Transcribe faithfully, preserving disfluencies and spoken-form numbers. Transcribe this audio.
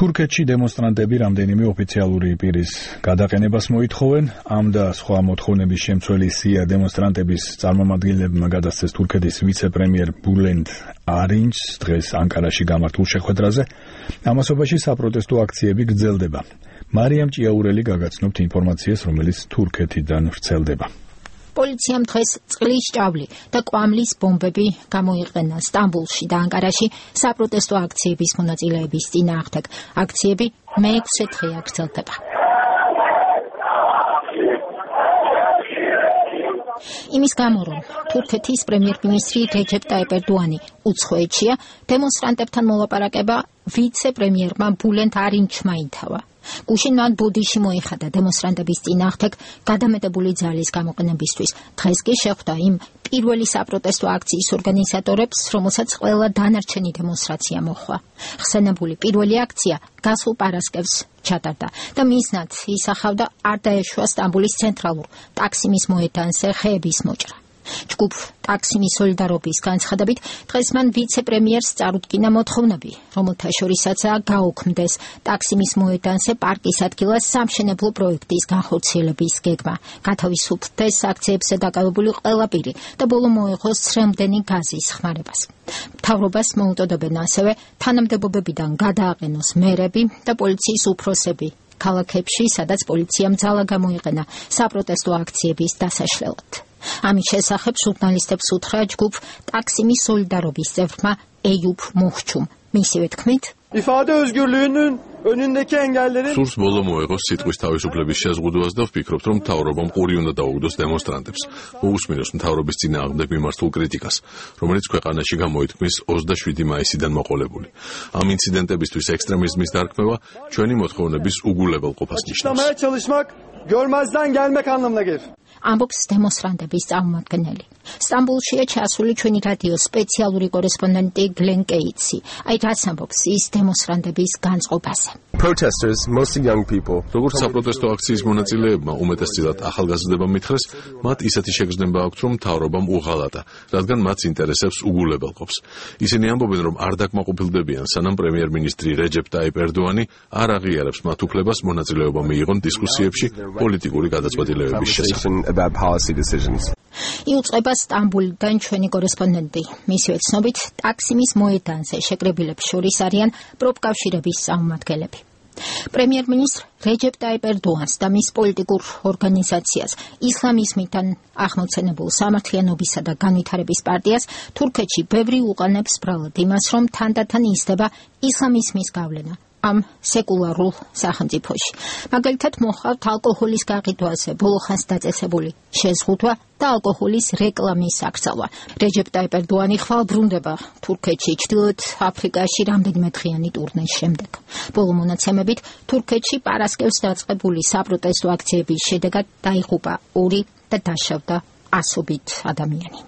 თურქეთში დემონსტრანტები რამდენიმე ოფიციალური პირის გადაყენებას მოითხოვენ. ამ და სხვა მოთხოვნების შემცველი სია დემონსტრანტების წარმომადგენლებმა გადასცეს თურქეთის ვიცე-პრემიერ ბულენდ არინჯს დღეს ანკარაში გამართულ შეხვედრაზე. ამასობაში საპროტესტო აქციები გრძელდება. მარიამ ჭიაურელი გაგაცნობთ ინფორმაციას, რომელიც თურქეთიდან ვრცელდება. პოლიციამ დღეს წყლის ჭავლი და კვამლის ბომბები გამოიყენა სტამბოლში და ანკარაში საპროტესტო აქციების მონაწილეების წინააღმდეგ. აქციები მეექვსე დღეა გრძელდება. იმის გამო, რომ თურქეთის პრემიერ-მინისტრი რეჯეპ ტაიპ ერდოანი უცხოეთშია, დემონსტრანტებთან მოლაპარაკება ვიცე-პრემიერმა ბულენდ არინჯმა ითავა. გუშინ მან ბუდიში მოიხადა დემონსტრანტების წინააღმდეგ გადამეტებული ძალის გამოყენებისთვის. დღეს კი შეხვდა იმ პირველი საპროტესტო აქციის ორგანიზატორებს, რომელსაც ყველა დანარჩენი დემონსტრაცია მოჰყვა. ხსენებული პირველი აქცია გასულ პარასკევს ჩატარდა და მიზნად ისახავდა არ დაეშვა სტამბოლის ცენტრალურ ტაქსიმის მოედანზე ხეების მოჭრა. ჯგუფ ტაქსიმის სოლიდარობის განცხადებით, დღეს მან ვიცე-პრემიერს წარუდგინა მოთხოვნები, რომელთა შორისაცაა გაუქმდეს ტაქსიმის მოედანზე პარკის ადგილას სამშენებლო პროექტის განხორციელების გეგმა, გათავისუფლდეს აქციებზე დაკავებული ყველა პირი და ბოლო მოეღოს ცრემლდენი გაზის ხმარებას. მთავრობას მოუწოდებენ ასევე თანამდებობებიდან გადააყენოს მერები და პოლიციის უფროსები ქალაქებში, სადაც პოლიციამ ძალა გამოიყენა საპროტესტო აქციების დასაშლელად. ამის შესახებ ჟურნალისტებს უთხრა ჯგუფ ტაქსიმის სოლიდარობის წევრმა ეიუბ მოხჩუმ. მისივე თქმით, ifade özgürlüğünün önündeki engelleri სურს ბოლო მოეღოს სიტყვის თავისუფლების შეზღუდვას და ვფიქრობთ, რომ მთავრობამ ყური უნდა დაუგდოს დემონსტრანტებს. მოусმინოს მთავრობის წინააღმდეგ მიმართულ კრიტიკას, რომელიც ქვეყანაში გამოითქმის ოცდაშვიდი მაისიდან მოყოლებული. ამ ინციდენტებისთვის ექსტრემიზმის დარქმევა ჩვენი მოთხოვნების უგულებელყოფას ნიშნავს. görmezden gelmek anlamına gelir. ამბობს დემონსტრანტების წარმომადგენელი. სტამბოლშია ჩასული ჩვენი რადიოს სპეციალური კორესპონდენტი გლენ კეიცი. აი რაც ამბობს ის დემონსტრანტების განწყობაზე. Protesters, mostly young people. როგორც საპროტესტო აქციის მონაწილეებმა უმეტესწილად ახალგაზრდებამ მითხრეს, მათ ისეთი შეგრძნება აქვთ, რომ მთავრობამ უღალატა, რადგან მათ ინტერესებს უგულებელყოფს. ისინი ამბობენ, რომ არ დაკმაყოფილდებიან, სანამ პრემიერ-მინისტრი რეჯეპ ტაიპ ერდოანი არ აღიარებს მათ უფლებას მონაწილეობა მიიღონ დისკუსიებში პოლიტიკური გადაწყვეტილებების შესახებ. About policy decisions. იუწყება სტამბოლიდან ჩვენი კორესპონდენტი. მისივე ცნობით, ტაქსიმის მოედანზე შეკრებილებს შორის არიან პროფკავშირების წარმომადგენლები. პრემიერ-მინისტრ რეჯეპ ტაიპ ერდოანს და მის პოლიტიკურ ორგანიზაციას ისლამიზმიდან აღმოცენებულ სამართლიანობისა და განვითარების პარტიას თურქეთში ბევრი უყანებს ბრალად იმას, რომ თანდათან იზრდება ისლამიზმის გავლენა ამ სეკულარულ სახელმწიფოში. მაგალითად მოხართ ალკოჰოლის გაყიდვაზე ბოლოხანს დაწესებული შეზღუდვა და ალკოჰოლის რეკლამის აკრძალვა. რეჯეპ ტაიპ ერდოანი ხვალ ბრუნდება თურქეთში ჩრდილოეთ აფრიკაში რამდენიმე დღიანი ტურნეს შემდეგ. ბოლო მონაცემებით თურქეთში პარასკევს დაწყებული საპროტესტო აქციების შედეგად დაიღუპა ორი და დაშავდა ასობით ადამიანი.